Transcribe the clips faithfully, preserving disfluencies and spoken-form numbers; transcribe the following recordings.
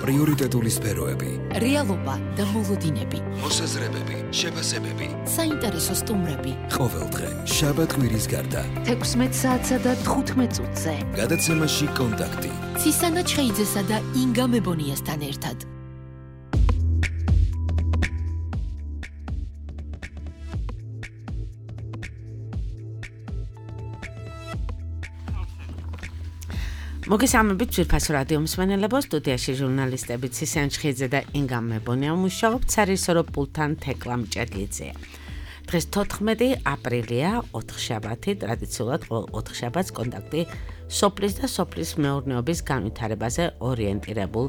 პრიორიტეტული სფეროები, რეალობა და მოლოდინები, მოსაზრებები, შეფასებები, საინტერესო სტუმრები. ყოველდღე შაბათ კვირის გარდა თექვსმეტ საათსა და თხუთმეტ წუთზე გადაცემაში კონტაქტი ცისანა ჩხეიძესა და ინგა მებონიასთან ერთად. მოგესალმებით ძვირფასო რადიო მსმენელებო, სტუდიაში ჟურნალისტები ცისანა ჩხეიძე და ინგა მებონია მუშაობთ სარისორო პულთან თეკლა მჭედლიძეა. დღეს თოთხმეტი აპრილია, ოთხშაბათი, ტრადიციულად ყოველ ოთხშაბათს კონტაქტი სოფლის და სოფლის მეურნეობის განვითარებაზე ორიენტირებულ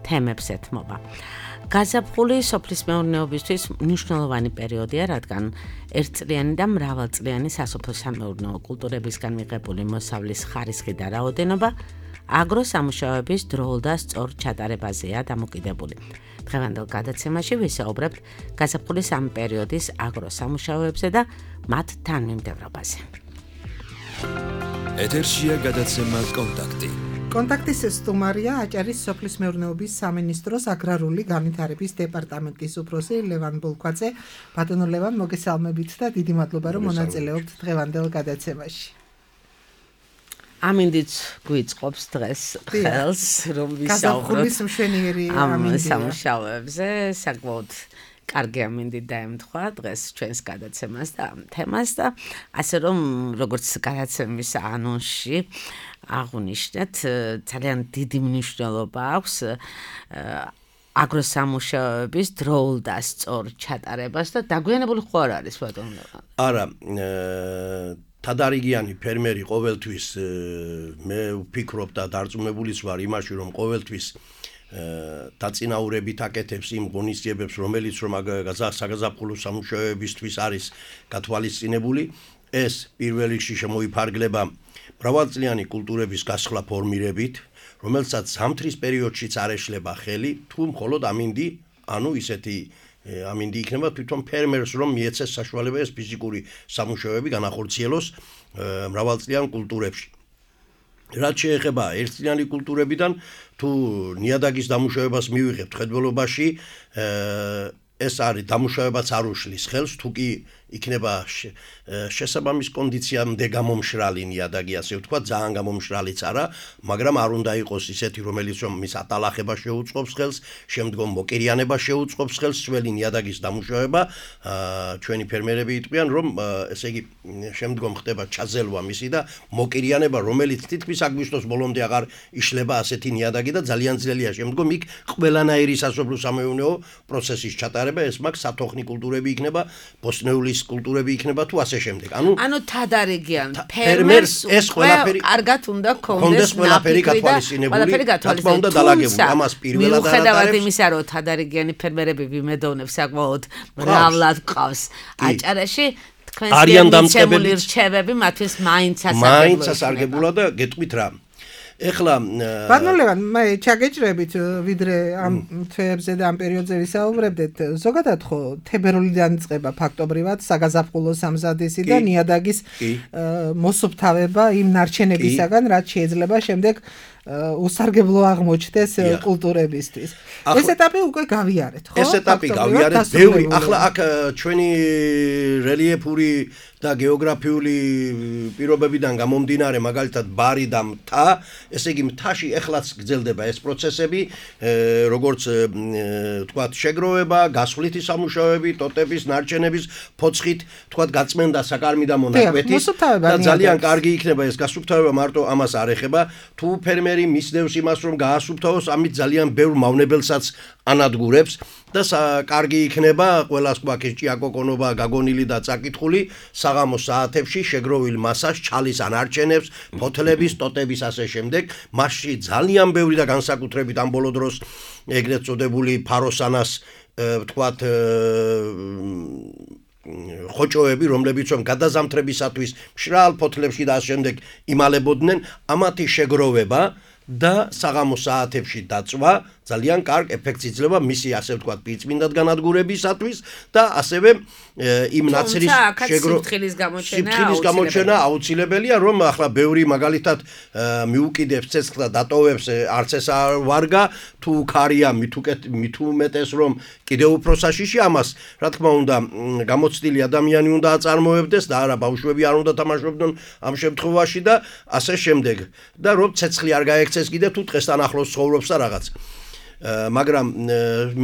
თემებს ეთმობა. გაზაფხული სოფლის მეურნეობისთვის მნიშვნელოვანი პერიოდია, რადგან ერთწლიანი და მრავალწლიანი სასოფლო-სამეურნეო კულტურებისგან მიღებული მოსავლის ხარისხი და რაოდენობა აგროსამუშაოების დროულ და სწორ ჩატარებაზეა დამოკიდებული. დღევანდელ გადაცემაში ვისაუბრებთ გაზაფხულის ამ პერიოდის აგროსამუშაოებზე და მათ თანმიმდევრობაზე. ეთერშია გადაცემა კონტაქტი. კონტაქტის სტუმარია აჭარის სოფლის მეურნეობის სამინისტროს აგრარული განვითარების დეპარტამენტის უფროსი ლევან ბოლქვაძე. ბატონო ლევან, მოგესალმებით და დიდი მადლობა რომ მონაწილეობთ დღევანდელ გადაცემაში. ამინდიც გვიწყობს დღეს ხელს რომ ვისაუბროთ გაზაფხულის მშვენიერი ამ სამუშაოებზე, საკმაოდ კარგი ამინდი დაემთხვა დღეს ჩვენს გადაცემას და ამ თემას და ასე რომ როგორც გადაცემის ანონსში აღნიშნეთ, ძალიან დიდი მნიშვნელობა აქვს აგროსამუშაოების დროულ და სწორ ჩატარებას და დაგვიანებული ხო არ არის ბატონო? არა, თადარიგიანი ფერმერი ყოველთვის მე ვფიქრობ და დარწმუნებულიც ვარ იმაში, რომ ყოველთვის დაწინაურებით აკეთებს იმ ღონისძიებებს, რომელიც რომ საგაზაფხულო სამუშაოებისთვის არის გათვალისწინებული. ეს პირველ რიგში შემოიფარგლება მრავალწლიანი კულტურების გასხლა ფორმირებით, რომელსაც ზამთრის პერიოდშიც არ ეშლება ხელი, თუ მხოლოდ ამინდი, ანუ ისეთი ამინდი იქნება თვითონ ფერმერს, რომ მიეცეს საშუალება ეს ფიზიკური სამუშაოები განახორციელოს მრავალწლიან კულტურებში. რაც შეეხება ერთწლიანი კულტურებიდან, თუ ნიადაგის დამუშავებას მივიღებთ ხედველობაში, ეს არის დამუშავებაც არ უშლის ხელს, თუ კი იქნება შესაბამის კონდიციამდე გამომშრალი ნიადაგი, ასე ვთქვათ, ძალიან გამომშრალიც არა, მაგრამ არ უნდა იყოს ისეთი, რომელიც რომ მის ატალახება შეუწყობს ხელს, შემდგომ მოკირიანება შეუწყობს ხელს, ძველი ნიადაგის დამუშავება. ჩვენი ფერმერები იტყვიან, რომ ესე იგი შემდგომ ხდება ჩაზელვა მისი და მოკირიანება, რომელიც თითქმის აგვისტოს ბოლომდე აღარ იშლება ასეთი ნიადაგი და ძალიან ძნელია შემდგომ იქ ყველანაირი სასოფლო-სამეურნეო პროცესის ჩატარება, ეს მაგ სათოხნი კულტურები იქნება, ბოსტნეულის კულტურები იქნება თუ ასე შემდეგ. ანუ ანუ თადარიგიან ფერმერს ეს ყველაფერი კარგად უნდა ქონდეს ყველაფერი გათვალისწინებული, თქმა უნდა დალაგებული. ამას პირველად არ ხედავთ იმისა, რომ თადარიგიანი ფერმერები ვიმედოვნებს საკმაოდ მრავლად ყავს აჭარაში, თქვენს დამწყებული რჩევები მათთვის მაინც ასარგებლოა. მაინც ასარგებლა და გეტყვით რა. ეხლა ბატონო ლევან, მე ჩაგეჭრებით ვიდრე ამ თვეებზე და ამ პერიოდზე ვისაუბრებდეთ, ზოგადად ხო თებერვლიდან იწყება ფაქტობრივად საგაზაფხულო სამზადისი და ნიადაგის მოსუფთავება იმ ნარჩენებისაგან, რაც შეიძლება შემდეგ უსარგებლო აღმოჩნდეს კულტურებისთვის. ეს ეტაპი უკვე გავიარეთ, ხო? ეს ეტაპი გავიარეთ, ბევრი. ახლა აქ ჩვენი რელიეფური და გეოგრაფიული პირობებიდან გამომდინარე, მაგალითად ბარი და მთა, ესე იგი მთაში ეხლაც გრძელდება ეს პროცესები, როგორც თქვათ შეგროვება, გასხლითი სამუშაოები, ტოტების, ნარჩენების, ფოცხით, თქვათ გაწმენდა საკარმი და მონაკვეთის და ძალიან კარგი იქნება ეს გასუფთავება, მარტო ამას არ ეხება. თუ ფერმერი მისდევს იმას, რომ გაასუფთავოს, ამით ძალიან ბევრ მავნებელსაც ანადგურებს და კარგი იქნება ყველას გვაქვს ჭიაკოკონობა გაგონილი და წაკითხული საღამოს საათებში შეგროვილ მასას ჩალის ანარჩენებს, ფოთლების, ტოტების ასე შემდეგ. მასში ძალიან ბევრი და განსაკუთრებით ამ ბოლო დროს ეგრეთ წოდებული ფაროსანას ვთქვათ ხოჭოები, რომლებიც რომ გადაზამთრებისათვის მშრალ ფოთლებში და ასე შემდეგ იმალებოდნენ, ამათი შეგროვება და საღამოს საათებში დაწვა ძალიან კარგ ეფექტს იძლევა მისი ასე ვთქვათ პირწმინდად განადგურებისათვის და ასევე იმ ნაცრის შეგროთქილის გამოჩენა აუცილებელია რომ ახლა ბევრი მაგალითად მიუკიდებს ცეცხლს და დატოვებს არც ეს არ ვარგა თუ ქარია მით უკეთ მით უმეტეს რომ კიდევ უფრო საშიში ამას რა თქმა უნდა გამოცდილი ადამიანი უნდა აწარმოებდეს და არა ბავშვები არ უნდა თამაშობდნენ ამ შემთხვევაში და ასე შემდეგ და რომ ცეცხლი არ გაექცეს კიდე თუ დღესთან ახლოს ცხოვრობს და რაღაც მაგრამ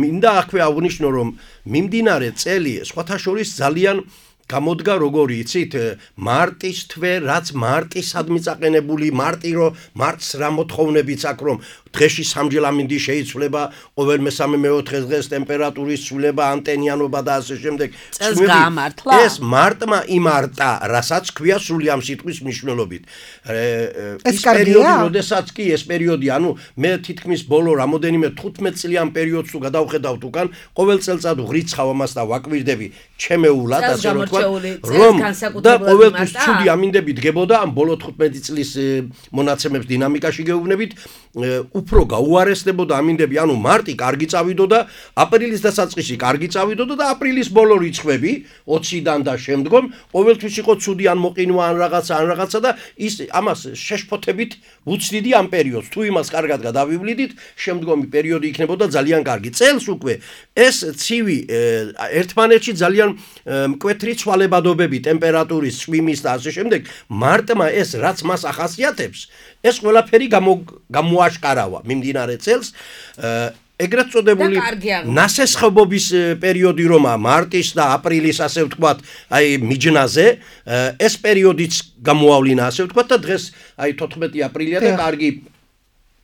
მინდა აქვე აღვნიშნო რომ მიმდინარე წელი სხვათა შორის ძალიან გამოდგა როგორი იცით მარტის თვე რაც მარტისადმი წაყენებული მარტი რომ მარტს რა მოთხოვნებიც აქვს რომ დღეში სამჯერ ამინდი შეიცვლება ყოველ მესამე მეოთხე დღეს ტემპერატურის ცვლილება ანტენიანობა და ასე შემდეგ ეს მარტმა იმარტა რასაც ქვია სრული ამ სიტყვის მნიშვნელობით ეს პერიოდი როდესაც კი ეს პერიოდი ანუ მე თითქმის ბოლო რამოდენიმე თხუთმეტ წლიან პერიოდს თუ გადავხედავთ უკან ყოველ წელწად ვრიცხავ ამას და ვაკვირდები ჩემეულად ასე რომ რომ და ყოველთვის ცუდი ამინდები დგებოდა ამ ბოლო თხუთმეტი წლის მონაცემებს დინამიკაში გეუბნებით უფრო გაუარესდებოდა ამინდები ანუ მარტი კარგი წავიდოდა აპრილის დასაწყისი კარგი წავიდოდა და აპრილის ბოლო რიცხვები ოციდან და შემდგომ ყოველთვის იყო ცუდი ან მოყინვა ან რაღაცა ან რაღაცა და ის ამას შეშფოთებით უცდიდი ამ პერიოდს თუ იმას კარგად გადავივლიდით შემდგომი პერიოდი იქნებოდა ძალიან კარგი წელს უკვე ეს ცივი ერთმანეთში ძალიან მკვეთრი ცვალებადობები ტემპერატურის წვიმის და ასე შემდეგ მარტმა ეს რაც მას ახასიათებს ეს ყველაფერი გამოაშკარავა მიმდინარე წელს ეგრეთ წოდებული ნასესხობობის პერიოდი რომა მარტის და აპრილის ასე ვთქვათ აი მიჯნაზე ეს პერიოდიც გამოავლინა ასე ვთქვათ და დღეს აი თოთხმეტი აპრილია და კარგი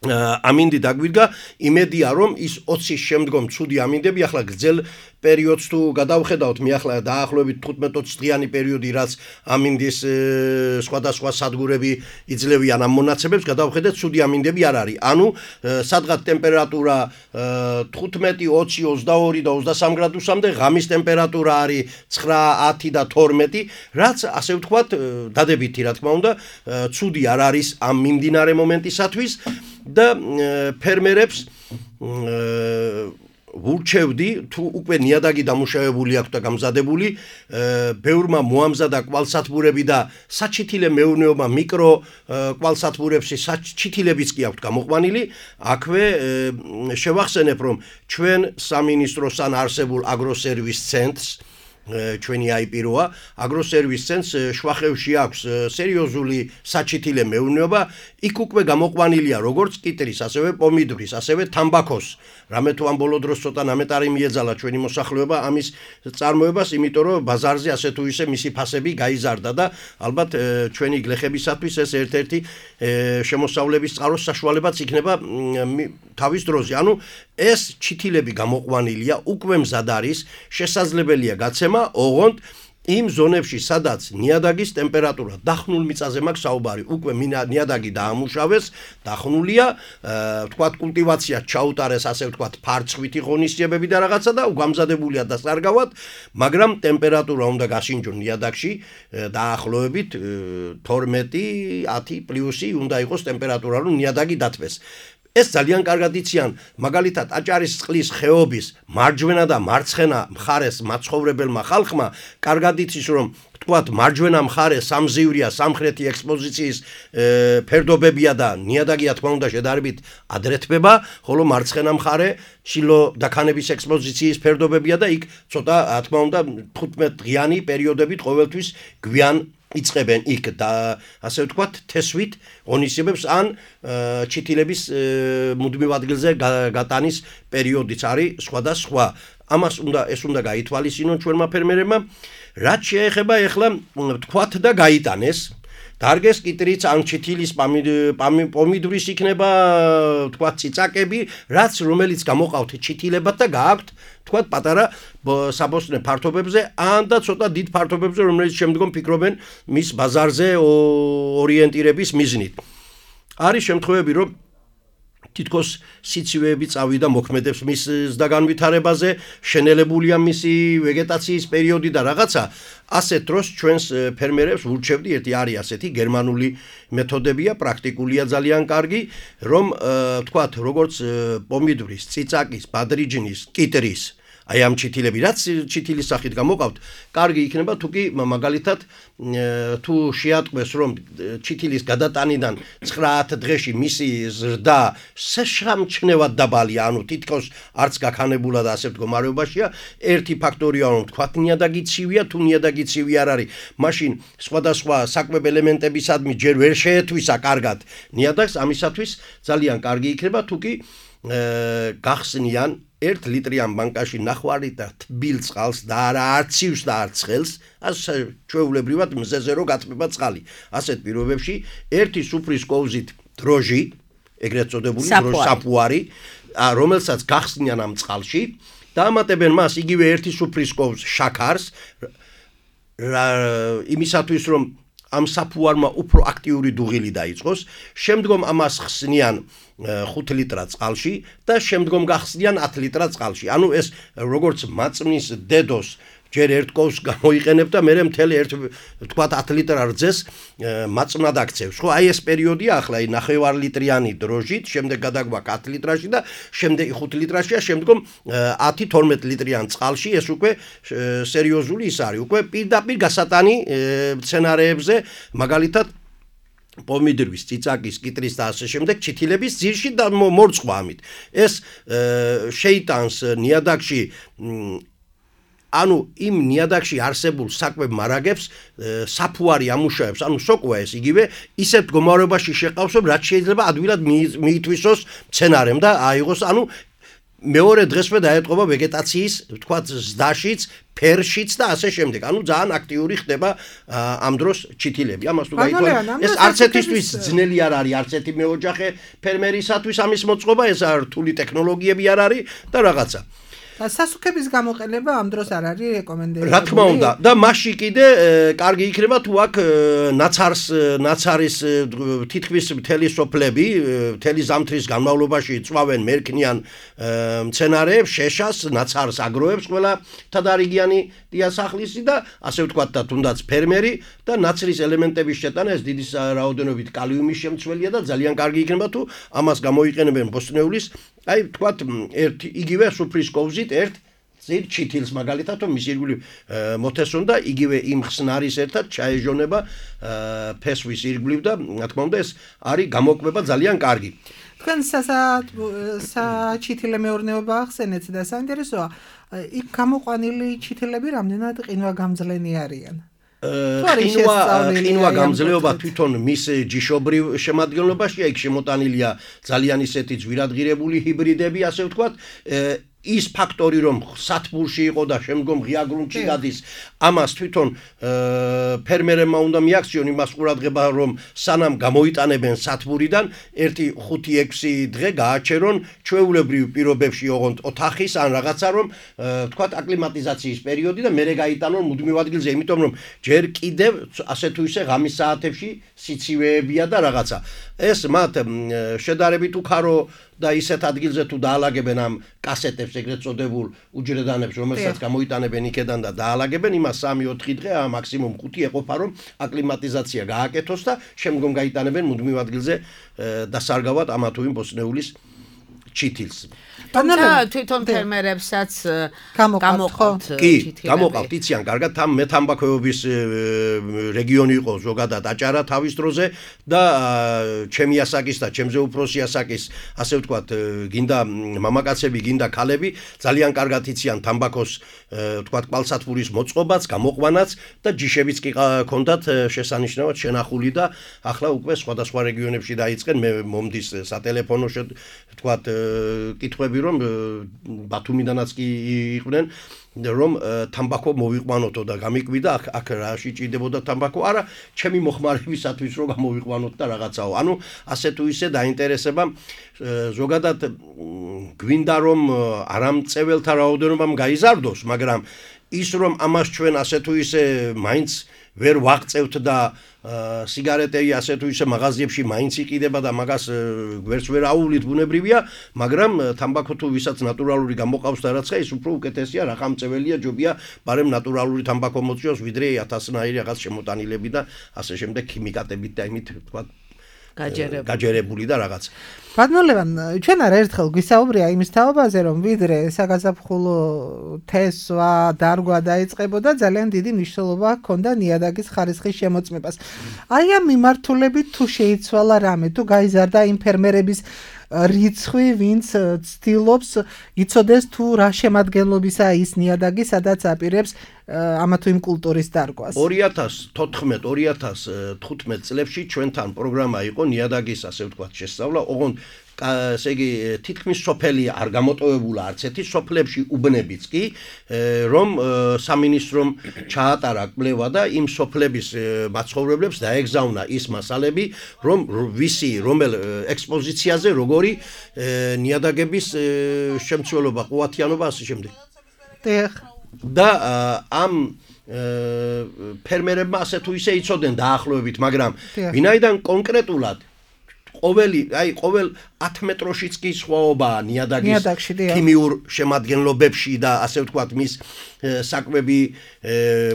ამინდი დაგვიდგა იმედია რომ ის ოცის შემდგომ ცუდი ამინდები ახლა გრძელ პერიოდს თუ გადავხედავთ მე ახლა დაახლოებით თხუთმეტ ოცი დღიანი პერიოდი რაც ამინდის სხვადასხვა სადგურები იძლევიან ამ მონაცემებს გადავხედეთ ცუდი ამინდები არ არის ანუ სადღაც ტემპერატურა თხუთმეტი ოცი ოცდაორი და ოცდასამი გრადუსამდე ღამის ტემპერატურა არის ცხრა ათი და თორმეტი რაც ასე ვთქვათ დადებითი რა თქმა უნდა ცუდი არ არის ამ მიმდინარე მომენტისათვის და ფერმერებს ვურჩევდი თუ უკვე ნიადაგი დამუშავებული აქვს და გამზადებული ბევრმა მოამზადა კვალსათბურები და საჩითილე მეურნეობა მიკრო კვალსათბურებში საჩითილებიც კი აქვს გამოყვანილი აქვე შევახსენებ რომ ჩვენ სამინისტროსთან არსებულ აგროსერვის ცენტრს ჩვენი აიპიროა აგროსერვის ცენტრს შვახევში აქვს სერიოზული საჩითილე მეურნეობა იქ უკვე გამოყვანილია როგორც კიტრის ასევე პომიდორის ასევე თამბაქოს რამე თუ ამ ბოლო დროს ცოტა ნამეტარი მიეძალა ჩვენი მოსახლეობა ამის წარმოებას იმიტომ რომ ბაზარზე ასე თუ ისე მისი ფასები გაიზარდა და ალბათ ჩვენი გლეხებისათვის ეს ერთ-ერთი შემოსავლების წყაროს საშუალებაც იქნება თავის დროზე ანუ ეს ჩითილები გამოყვანილია უკვე მზად არის შესაძლებელია გაცემა ოღონდ იმ ზონებში სადაც ნიადაგის ტემპერატურა დახნულ მიწაზე მაქვს საუბარი უკვე ნიადაგი დაამუშავეს დახნულია ვთქვათ კულტივაცია ჩაუტარეს ასე ვთქვათ ფარცხვითი ღონისძიებები და რაღაცა და უგამზადებულია და სარგავად მაგრამ ტემპერატურა უნდა გაშინჯონ ნიადაგში დაახლოებით თორმეტი ათი პლუსი უნდა იყოს ტემპერატურა რომ ნიადაგი დათვეს ეს ძალიან კარგად იციან მაგალითად აჭარის წყლის ხეობის მარჯვენა და მარცხენა მხარეს მაცხოვრებელმა ხალხმა კარგად იცის რომ ვთქვათ მარჯვენა მხარე სამზივრია სამხრეთი ექსპოზიციის ფერდობებია და ნიადაგი რა თქმა უნდა შედარებით ადრეთბება ხოლო მარცხენა მხარე შილო დაქანების ექსპოზიციის ფერდობებია და იქ ცოტა რა თქმა უნდა თხუთმეტ დღიანი პერიოდებით ყოველთვის გვიან იწყებენ იქ და ასე ვთქვათ თესვით ღონისძიებებს ან ჩითილების მუდმივ ადგილზე გატანის პერიოდიც არის სხვადასხვა ამას უნდა ეს უნდა გაითვალისწინონ ჩვენმა ფერმერებმა რაც შეეხება ეხლა ვთქვათ და გაიტანეს დარგეს კიტრიც ან ჩითილის პომიდურის იქნება ვთქვათ ციცაკები რაც რომელიც გამოყავთ ჩითილებად და გააქვთ ვთქვათ პატარა საბოსტნე ფართობებზე ან და ცოტა დიდ ფართობებზე რომელიც შემდგომ ფიქრობენ მის ბაზარზე ორიენტირების მიზნით არის შემთხვევები რომ თითქოს სიცივეები წავიდა მოქმედებს მის ზდაგანვითარებაზე, შენელებულია მისი ვეგეტაციის პერიოდი და რაღაცა. ასეთ დროს ჩვენს ფერმერებს ვურჩევდი, ერთი არის ასეთი გერმანული მეთოდებია, პრაქტიკულია ძალიან კარგი, რომ თქვათ, როგორც პომიდორის, წიწაკის, ბადრიჯნის, კიტრის აი ამ ჩითილები, რაც ჩითილის სახით გამოყავთ, კარგი იქნება თუ კი მაგალითად თუ შეატყვეს რომ ჩითილის გადატანიდან ცხრა დღეში მისი ზრდა შეშამჩნევად დაბალია, ანუ თითქოს არც გაქანებულა და ასე მდგომარეობაშია, ერთი ფაქტორია რომ თქვათ ნიადაგი ცივია, თუ ნიადაგი ცივი არ არის, მაშინ სხვადასხვა საკვებ ელემენტებისადმი ჯერ ვერ შეეთვისა კარგად ნიადაგს, ამისათვის ძალიან კარგი იქნება თუ კი გახსნიან ერთ ლიტრიან ბანკაში ნახვარი და თბილ წყალს და არა არც ცივს და არც ცხელს, ასე ჩვეულებრივად მზეზე რო გაწმება წყალი. ასეთ პირობებში ერთი სუფრის კოვზით დროჟი, ეგრეთ წოდებული დროჟი საფუარი, რომელსაც გახსნიან ამ წყალში, დაამატებენ მას იგივე ერთი სუფრის კოვზ შაქარს, იმისათვის რომ ამ საფუარმა უფრო აქტიური დუღილი დაიწყოს, შემდგომ ამას ხსნიან ხუთ ლიტრად წყალში და შემდგომ გახსნიან ათ ლიტრად წყალში. ანუ ეს როგორც მაწმის დედოს ჯერ ერთ კოვს გამოიყენებ და მერე მთელი ერთ თქვათ ათ ლიტრ რძეს მაწმნად აქცევს. ხო, აი ეს პერიოდია ახლა აი ნახევარ ლიტრიანი დროჟით, შემდეგ გადაგვაქვს ათ litrაში და შემდეგ ხუთ litrაშია, შემდგომ ათი თორმეტ litrიან წყალში, ეს უკვე სერიოზული ის არის, უკვე პირდაპირ გასატანი სცენარეებზე, მაგალითად პომიდორის, წიწაკის, კიტრის და ასე შემდეგ ჩითილების ძირში და მორწყვა ამით. ეს შეიტანს ნიადაგში ანუ იმ ნიადაგში არსებულ საკვებ მარაგებს საფუარი ამუშავებს, ანუ სოკოა ეს იგივე ისეთ მდგომარეობაში შეყავს, რომ რაც შეიძლება ადვილად მიითვისოს მცენარემ და აიღოს, ანუ მეორე დღესვე დაეტყობა ვეგეტაციის, თქვათ, ზდაშიც, ფერშიც და ასე შემდეგ. ანუ ძალიან აქტიური ხდება ამ დროს ჩითილები. ამას თუ გაითვალისწინებთ, ეს არც ერთისთვის ძნელი არ არის, არც ერთი მეოჯახე ფერმერისათვის ამის მოწყობა, ეს არ რთული ტექნოლოგიები არ არის და რაღაცა. და სასუქების გამოყენება ამ დროს არ არის რეკომენდებული. რა თქმა უნდა, და მასში კიდე კარგი იქნება თუ აქ ნაცარს, ნაცარის თითქმის მთელი სოფლები, მთელი ზამთრის განმავლობაში წვავენ მერქნიან მცენარეებს, შეშას, ნაცარს აგროებს ყველა თადარიგიანი დიასახლისი და ასე ვთქვათ და თუნდაც ფერმერი და ნაცრის ელემენტების შეტანა ეს დიდი რაოდენობით კალიუმის შემცველია და ძალიან კარგი იქნება თუ ამას გამოიყენებენ ბოსტნეულის აი თქვათ ერთ იგივე სუფრის კოვზით ერთ ძირ ჩითილს მაგალითად რომ მის ირგვლივ მოთესონ და იგივე იმ ხსნარის ერთად ჩაეჟონება ფესვის ირგვლივ და რა თქმა უნდა ეს არის გამოკვება ძალიან კარგი. თქვენ საჩითილე მეურნეობა ახსენეთ და საინტერესოა იქ გამოყვანილი ჩითილები რამდენად ყინვაგამძლენი არიან? ყინვა ყინვა გამძლეობა თვითონ მის ჯიშობრივ შემადგენლობაშია, იქ შემოტანილია ძალიან ისეთი ძვირადღირებული ჰიბრიდები, ასე ვთქვათ, ის ფაქტორი რომ სათბურში იყო და შემდგომ ღია გრუნტში გადის, ამას თვითონ ფერმერებმა უნდა მიაქციონ იმას ყურადღება, რომ სანამ გამოიტანებენ სათბურიდან, ერთი ხუთი ექვსი დღე გააჩერონ ჩვეულებრივ პირობებში ოღონდ ოთახის ან რაღაცა რომ თქვათ აკლიმატიზაციის პერიოდი და მერე გაიტანონ მუდმივ ადგილზე, იმიტომ რომ ჯერ კიდევ ასე თუ ისე ღამის საათებში სიცივეებია და რაღაცა. ეს მათ შედარებით უქარო და ისეთ ადგილზე თუ დაალაგებენ ამ კასეტებს ეგრეთ წოდებულ უჯრედანებს, რომელსაც გამოიტანებენ იქედან და დაალაგებენ, იმას სამი ოთხი დღე, მაქსიმუმ ხუთი ეყოფა რომ აკლიმატიზაცია გააკეთოს და შემდგომ გაიტანებენ მუდმივ ადგილზე დასარგავად ამა თუ იმ ბოსტნეულის ჩითილს. თუმცა თვითონ ფერმერებსაც გამოყავთ ჩითილები. გამოყავთ, იციან კარგად, ამ მეთამბაქოეობის რეგიონი იყო ზოგადად აჭარა თავის დროზე და ჩემი ასაკის და ჩემზე უფროსი ასაკის, ასე ვთქვათ, გინდა მამაკაცები, გინდა ქალები, ძალიან კარგად იციან თამბაქოს, ვთქვათ, კვალსათბურის მოწყობაც, გამოყვანაც და ჯიშებიც კი ჰქონდათ შესანიშნავად შენახული და ახლა უკვე სხვადასხვა რეგიონებში დაიწყენ, მე მომდის სატელეფონო, ვთქვათ, კითხვები რომ ბათუმიდანაც კი იყვნენ რომ თამბაქო მოვიყვანოთო და გამიკვიდა აქ აქ რაში ჭირდებოდა თამბაქო არა ჩემი მოხმარებისათვის რომ გამოვიყვანოთ და რაღაცაო ანუ ასე თუ ისე დაინტერესება ზოგადად გვინდა რომ არამწეველთა რაოდენობამ გაიზარდოს მაგრამ ის რომ ამას ჩვენ ასე თუ ისე მაინც ვერ ვაღწევთ და სიგარეტები ასე თუ ისე მაღაზიებში მაინც იყიდება და მაგას გვერდს ვერ აუვლით ბუნებრივია, მაგრამ თამბაქო თუ ვისაც ნატურალური გამოყავს და რაცა ის უფრო უკეთესია, რა ხამწეველია ჯობია, ბარემ ნატურალური თამბაქო მოწიოს, ვიდრე ათასნაირი რაღაც შემოტანილები და ასე შემდეგ ქიმიკატებით და იმით თქვა გაჯერებული და რაღაც. ბატონლევან, ჩვენ არა ერთხელ გვისაუბრია იმის თაობაზე, რომ ვიდრე საგაზაფხულო თესვა, დარგვა დაიწყებოდა, ძალიან დიდი მნიშვნელობა ჰქონდა ნიადაგის ხარისხის შემოწმებას. აი ამ მიმართულებით თუ შეიცვალა რამე, თუ გაიზარდა იმ ფერმერების რიცხვი, ვინც ცდილობს იცოდეს თუ რა შემადგენლობისა ის ნიადაგი, სადაც აპირებს ამა თუ იმ კულტურის დარგვას. ორი ათას თოთხმეტ ორი ათას თხუთმეტ წლებში ჩვენთან პროგრამა იყო ნიადაგის, ასე ვთქვათ, შესწავლა, ოღონდ ესე იგი თითქმის სოფელი არ გამოტოვებულა არც ერთი, სოფლებში უბნებიც კი, რომ სამინისტრომ ჩაატარა კვლევა და იმ სოფლების მაცხოვრებლებს დაეგზავნა ის მასალები, რომ ვისი რომელ ექსპოზიციაზე როგორი ნიადაგების შემცველობა, ყუათიანობა ასე შემდეგ. და ამ ფერმერებმა ასე თუ ისე იცოდნენ დაახლოებით, მაგრამ ვინაიდან კონკრეტულად ყოველი, აი, ყოველ ათ მეტროშიც კი სხვაობაა ნიადაგის ქიმიურ შემადგენლობებში და ასე ვთქვათ, მის საკვები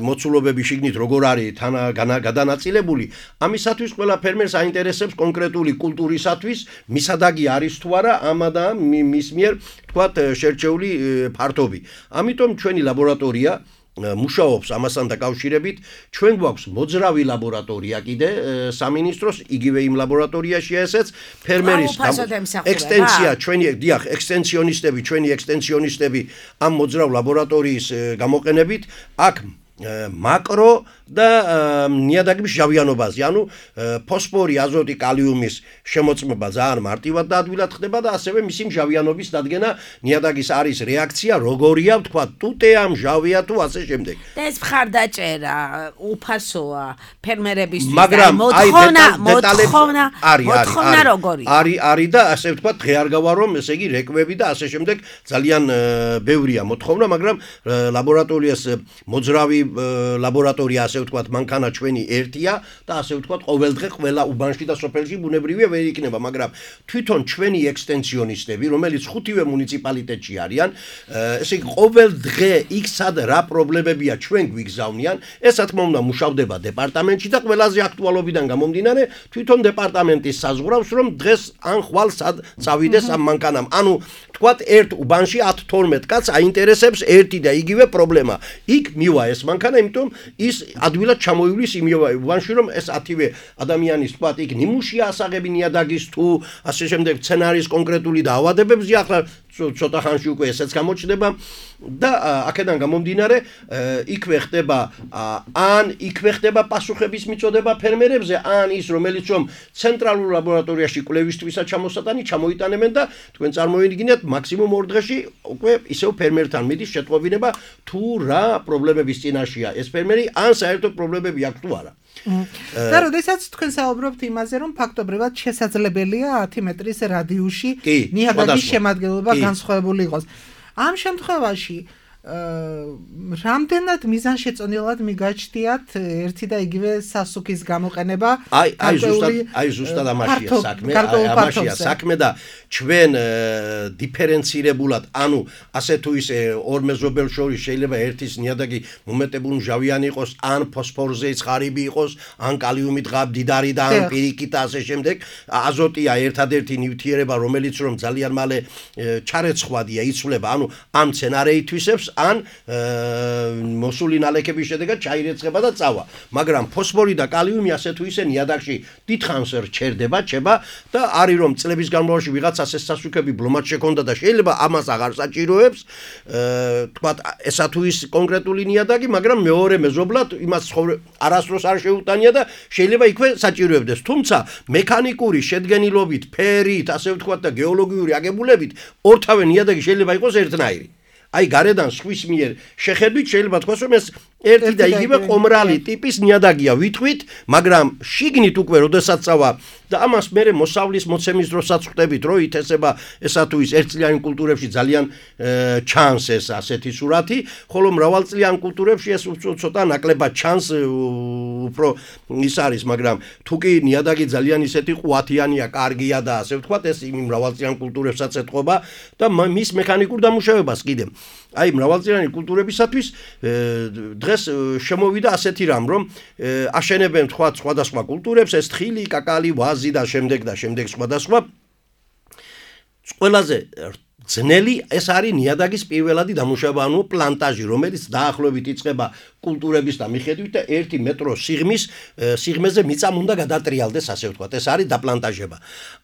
მოცულობები შიგნით როგორ არის თან გადანაწილებული. ამისათვის ყველა ფერმერს აინტერესებს კონკრეტული კულტურისათვის მისადაგი არის თუ არა ამა და მის მიერ ვთქვათ შერჩეული ფართობი. ამიტომ ჩვენი ლაბორატორია მუშაობს ამასთან დაკავშირებით. ჩვენ გვაქვს მოძრავი ლაბორატორია კიდე სამინისტროს, იგივე იმ ლაბორატორიაში ესეც ფერმერის ექსტენსია, ჩვენი დიახ, ექსტენსიონისტები, ჩვენი ექსტენსიონისტები ამ მოძრავ ლაბორატორიის გამოყენებით აქ მაკრო და ნიადაგების ჟავიანობაზე, ანუ ფოსფორი, აზოტი, კალიუმის შემოწმება ძალიან მარტივად და ადვილად ხდება და ასევე მისი ჟავიანობის დადგენა ნიადაგის არის რეაქცია, როგორია, ვთქვა, ტუტეა, მჟავია თუ ასე შემდეგ. და ეს მხარდაჭერა უფასოა ფერმერებისთვის და მოთხოვნა, მოთხოვნა, მოთხოვნა როგორია? არის, არის და ასე ვთქვა, დღე არ გავა რომ ესე იგი რეკვები და ასე შემდეგ ძალიან ბევრია მოთხოვნა, მაგრამ ლაბორატორიას მოძრავი ლაბორატორია ასე ვთქვათ, მანქანა ჩვენი ერთია და ასე ვთქვათ, ყოველდღე ყველა უბანში და სოფელში ბუნებრივია ვერ იქნება, მაგრამ თვითონ ჩვენი ექსტენსიონისტები, რომელიც ხუთივე მუნიციპალიტეტში არიან, ესე იგი ყოველდღე იქ სად რა პრობლემებია ჩვენ გვიგზავნიან, ეს რა თქმა უნდა მუშავდება დეპარტამენტში და ყველაზე აქტუალობიდან გამომდინარე, თვითონ დეპარტამენტის საზღვრავს, რომ დღეს ან ხვალ სად წავიდეს ამ მანქანამ. ანუ ვთქვათ, ერთ უბანში ათ თორმეტ კაცს აინტერესებს ერთი და იგივე პრობლემა. იქ მივა ეს მანქანა, იმიტომ ის ადვილად ჩამოივლის იმ უბანში, რომ ეს ათივე ადამიანის თქვათ, იქ ნიმუშია ასაღები ნიადაგის თუ ასე შემდეგ სცენარის კონკრეტული დაავადებებზე, ახლა ცოტა ხანში უკვე ესეც გამოჩნდება და აქედან გამომდინარე იქვე ხდება ან იქვე ხდება პასუხების მიწოდება ფერმერებზე, ან ის რომელიც რომ ცენტრალურ ლაბორატორიაში კვლევისთვისაც ჩამოსატანი ჩამოიტანებენ და თქვენ წარმოიდგინეთ მაქსიმუმ ორ დღეში უკვე ისევ ფერმერთან მიდის შეტყობინება თუ რა პრობლემების წინაშეა ეს ფერმერი, ან საერთოდ პრობლემები აქვს თუ არა. და როდესაც თქვენ საუბრობთ იმაზე, რომ ფაქტობრივად შესაძლებელია ათი მეტრის რადიუსში ნიადაგის შემადგენლობა განსხვავებული იყოს. ამ შემთხვევაში რამდენად მიზანშეწონილად მიგაჩნიათ ერთი და იგივე სასუქის გამოყენება? აი, აი ზუსტად, აი ზუსტად ამაშია საქმე, ამაშია საქმე და ჩვენ დიფერენცირებულად, ანუ ასე თუ ისე ორ მეზობელს შორის შეიძლება ერთის ნიადაგი მომეტებული მჟავიანი იყოს, ან ფოსფორზე ცხარიბი იყოს, ან კალიუმი დღა მდიდარი და ან პირიქით და ასე შემდეგ. აზოტია ერთადერთი ნივთიერება, რომელიც რომ ძალიან მალე ჩარეცხვადია, იცვლება, ანუ ამ სცენარეითვისებს ან მოსული ნალექების შედეგად ჩაირეცხება და წავა. მაგრამ ფოსფორი და კალიუმი ასე თუ ისე ნიადაგში დიდხანს რჩერდება, ჩება და არის რომ წლების განმავლობაში ვიღაცას ეს სასუქები ბლომად შექონდა და შეიძლება ამას აღარ საჭიროებს, თქვათ, ესა თუ ის კონკრეტული ნიადაგი, მაგრამ მეორე მეზობლად იმას არასდროს არ შეუტანია და შეიძლება იქვე საჭიროებდეს. თუმცა მექანიკური შედგენილობით, ფერით, ასე ვთქვათ და გეოლოგიური აგებულებით ორთავე ნიადაგი შეიძლება იყოს ერთნაირი. აი გარედან სხვის მიერ შეხედვით შეიძლება თქვას რომ ეს ერთი და იგივე ყომრალი ტიპის ნიადაგია ვითხვით, მაგრამ შიგნით უკვე როდესაც წავა და ამას მე მოსავლის მოცემის დროსაც ხვდებით, რომ ითესება ესა თუ ის ერთწლიანი კულტურებში ძალიან ჩანს ეს ასეთი სურათი, ხოლო მრავალწლიან კულტურებში ეს ცოტა ნაკლებად ჩანს, უფრო ის არის, მაგრამ თუ კი ნიადაგი ძალიან ისეთი ყვათიანია, კარგია და ასე ვთქვათ, ეს იმ მრავალწლიან კულტურებსაც ეთყობა და მის მექანიკურ დამუშავებას კიდე. აი მრავალწლიანი კულტურებისათვის დღეს შემოვიდა ასეთი რამ, რომ აშენებენ თქვა სხვადასხვა კულტურებს, ეს თხილი, კაკალი, ვაზი და შემდეგ და შემდეგ სხვადასხვა. ყველაზე ძნელი ეს არის ნიადაგის პირველადი დამუშავება, ანუ პლანტაჟი, რომელიც დაახლოებით იწყება კულტურების და მიხედვით და ერთი მეტრო სიღმის სიღმეზე მიწამ უნდა გადატრიალდეს, ასე ვთქვათ, ეს არის დაპლანტაჟება.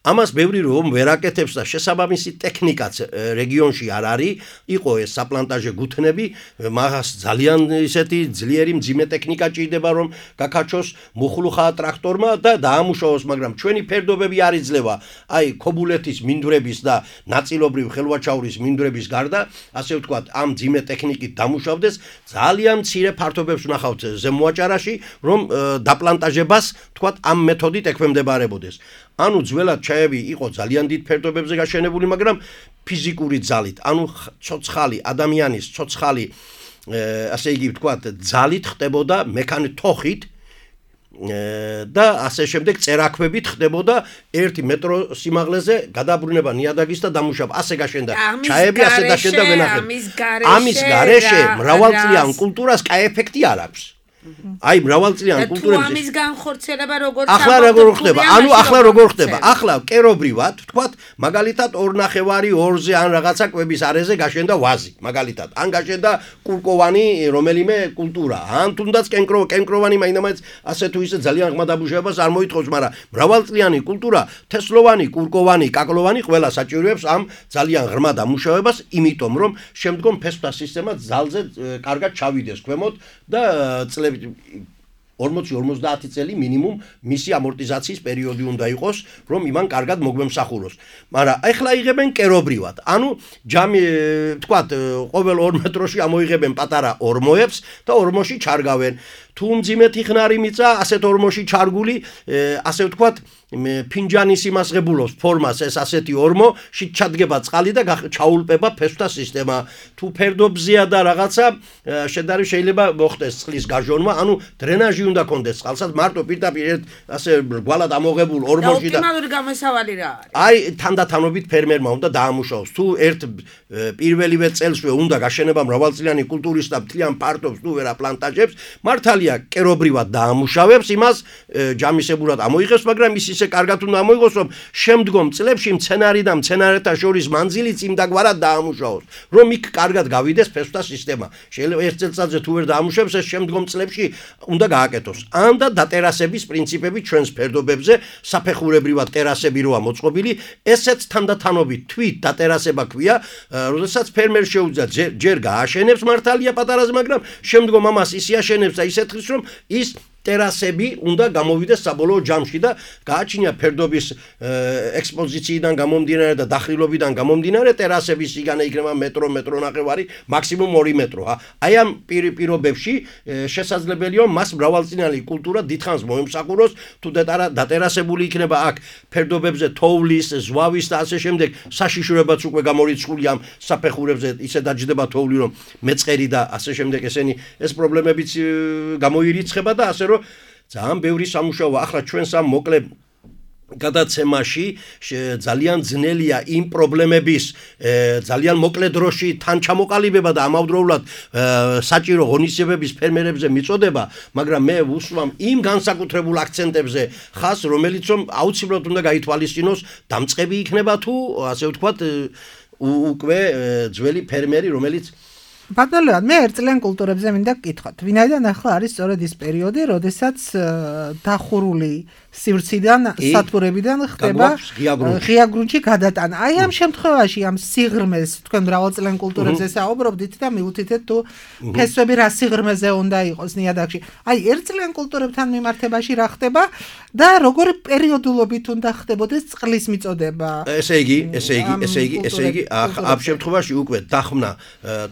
ამას ბევრი რომ ვერ აკეთებს და შესაბამისი ტექნიკაც რეგიონში არ არის, იყო ეს საპლანტაჟე გუთნები, მაგას ძალიან ისეთი ძლიერი მძიმე ტექნიკა ჭირდება, რომ გაკაჩოს მუხლუხა ტრაქტორმა და დაამუშავოს, მაგრამ ჩვენი ფერდობები არ იძლევა, აი ქობულეთის მინდვრების და ნაწილობრივ ხელვაჩაურის მინდვრების გარდა, ასე ვთქვათ, ამ მძიმე ტექნიკით დამუშავდეს, ძალიან მცირე ფართობებს ვნახავთ ზემოაჭარაში, რომ დაპლანტაჟებას, თქვათ, ამ მეთოდით ექვემდებარებოდეს. ანუ ძველად ჩაები იყო ძალიან დიდ ფერდობებზე გაშენებული, მაგრამ ფიზიკური ძალით, ანუ ცოცხალი ადამიანის ცოცხალი, ასე იგი ვთქვათ, ძალით ხდებოდა მექანიკ თოხით და ასე შემდეგ წერაქვებით ხდებოდა ერთი მეტრო სიმაღლეზე გადაბრუნება ნიადაგის და დამუშავება. ასე გაშენდა ჩაები, ასე დაშენდა ვენახები. ამის გარეშე მრავალწლიან კულტურას კაი ეფექტი არ აქვს. აი მრავალწლიან კულტურებზე ამის განხორციელება როგორც ახლა როგორ ხდება? ანუ ახლა როგორ ხდება? ახლა კერობრივად, თქვათ, მაგალითად ორნახევარი ორზე ან რაღაცა კვების არეზე გაშენდა ვაზი, მაგალითად. ან გაშენდა კურკოვანი რომელიმე კულტურა, ან თუნდაც კენკრო კენკროვანი მაინდამაინც ასე თუ ისე ძალიან ღრმა დამუშავებას არ მოითხოვს, მაგრამ მრავალწლიანი კულტურა, თესლოვანი, კურკოვანი, კაკლოვანი ყველა საჭიროებს ამ ძალიან ღრმა დამუშავებას, იმიტომ რომ შემდგომ ფესვთა სისტემა ძალზე კარგად ჩავიდეს ქვემოთ და წლები ორმოცი ორმოცდაათი წელი მინიმუმ მისი ამორტიზაციის პერიოდი უნდა იყოს, რომ იმან კარგად მოგვემსახუროს. მაგრამ ახლა იღებენ კერობრივად. ანუ ჯამი, თქვათ, ყოველ ორ მეტროში ამოიღებენ პატარა ორმოებს და ორმოში ჩარგავენ. თუ მძიმეთი ხნარი მიწა, ასეთ ორმოში ჩარგული, ასე ვთქვათ, ფინჯანის იმას ღებულობს ფორმას ეს ასეთი ორმო, შით ჩადგება წყალი და ჩაულპება ფესვთა სისტემა. თუ ფერდობზეა და რაღაცა შედარებით შეიძლება მოხდეს წყლის გაჟონვა, ანუ დრენაჟი უნდა კონდეს წყალსაც, მარტო პირდაპირ ასე გვალად ამოღებულ ორმოში და ოპტიმალური გამოსავალი რა არის? აი თანდათანობით ფერმერმა უნდა დაამუშავოს. თუ ერთ პირველივე წელსვე უნდა გაშენება მრავალწლიანი კულტურის და მთლიან პარტობს თუ ვერა პლანტაჟებს, მართალია კერობრივად დაამუშავებს იმას, ჯამისებურად ამოიღებს, მაგრამ ის ისე კარგად უნდა ამოიღოს, რომ შემდგომ წლებში მცენარი და მცენარეთა შორის მანძილიც იმდაგვარად დაამუშავოს, რომ იქ კარგად გავიდეს ფესვთა სისტემა. შეიძლება ერთ წელიწადზე თუ ვერ დაამუშავებს, ეს შემდგომ წლებში უნდა გააკეთოს. ან და დატერასების პრინციპები ჩვენს ფერდობებზე, საფეხურებრივად ტერასები როა მოწყობილი, ესეც თანდათანობით თვით დატერასება ქვია, როდესაც ფერმერს შეუძლია ჯერ გააშენებს მართალია პატარაზე, მაგრამ შემდგომ ამას ისე აშენებს და ისე თხრის, რომ ის ტერასები უნდა გამოვიდეს საბოლოო ჯამში და გააჩნია ფერდობის ექსპოზიციიდან გამომდინარე და დახრილობიდან გამომდინარე ტერასების სიგანე იქნება მეტრო, მეტრო ნახევარი, მაქსიმუმ ორი მეტრო. აი ამ პირობებში შესაძლებელია მას მრავალწლიანი კულტურა დიდხანს მოემსახუროს, თუ დატერასებული იქნება აქ ფერდობებზე თოვლის, ზვავის და ასე შემდეგ საშიშროებაც უკვე გამორიცხულია ამ საფეხურებზე, ისე დაჯდება თოვლი, რომ მეწყერი და ასე შემდეგ ესენი ეს პრობლემებიც გამოირიცხება და ასე რომ ძალიან ბევრი სამუშაოა. ახლა ჩვენს ამ მოკლე გადაცემაში ძალიან ძნელია იმ პრობლემების ძალიან მოკლე დროში თან ჩამოყალიბება და ამავდროულად საჭირო ღონისძიებების ფერმერებზე მიწოდება, მაგრამ მე ვუსვამ იმ განსაკუთრებულ აქცენტებზე ხას, რომელიც რომ აუცილებლად უნდა გაითვალისწინოს, დამწყები იქნება თუ ასე ვთქვათ უკვე ძველი ფერმერი, რომელიც ბატონო, მე ერთწლიან კულტურებზე მინდა გკითხოთ. ვინაიდან ახლა არის სწორედ ის პერიოდი, როდესაც დახურული სივრციდან, სათბურებიდან ხდება ღია გრუნტში გადატანა. აი ამ შემთხვევაში ამ სიღრმეს თქვენ მრავალწლიან კულტურებზე საუბრობდით და მიუთითეთ თუ ფესვები რა სიღრმეზე უნდა იყოს ნიადაგში. აი ერთწლიან კულტურებთან მიმართებაში რა ხდება და როგორი პერიოდულობით უნდა ხდებოდეს წყლის მიწოდება. ესე იგი, ესე იგი, ესე იგი, ესე იგი, ამ შემთხვევაში უკვე დახმნა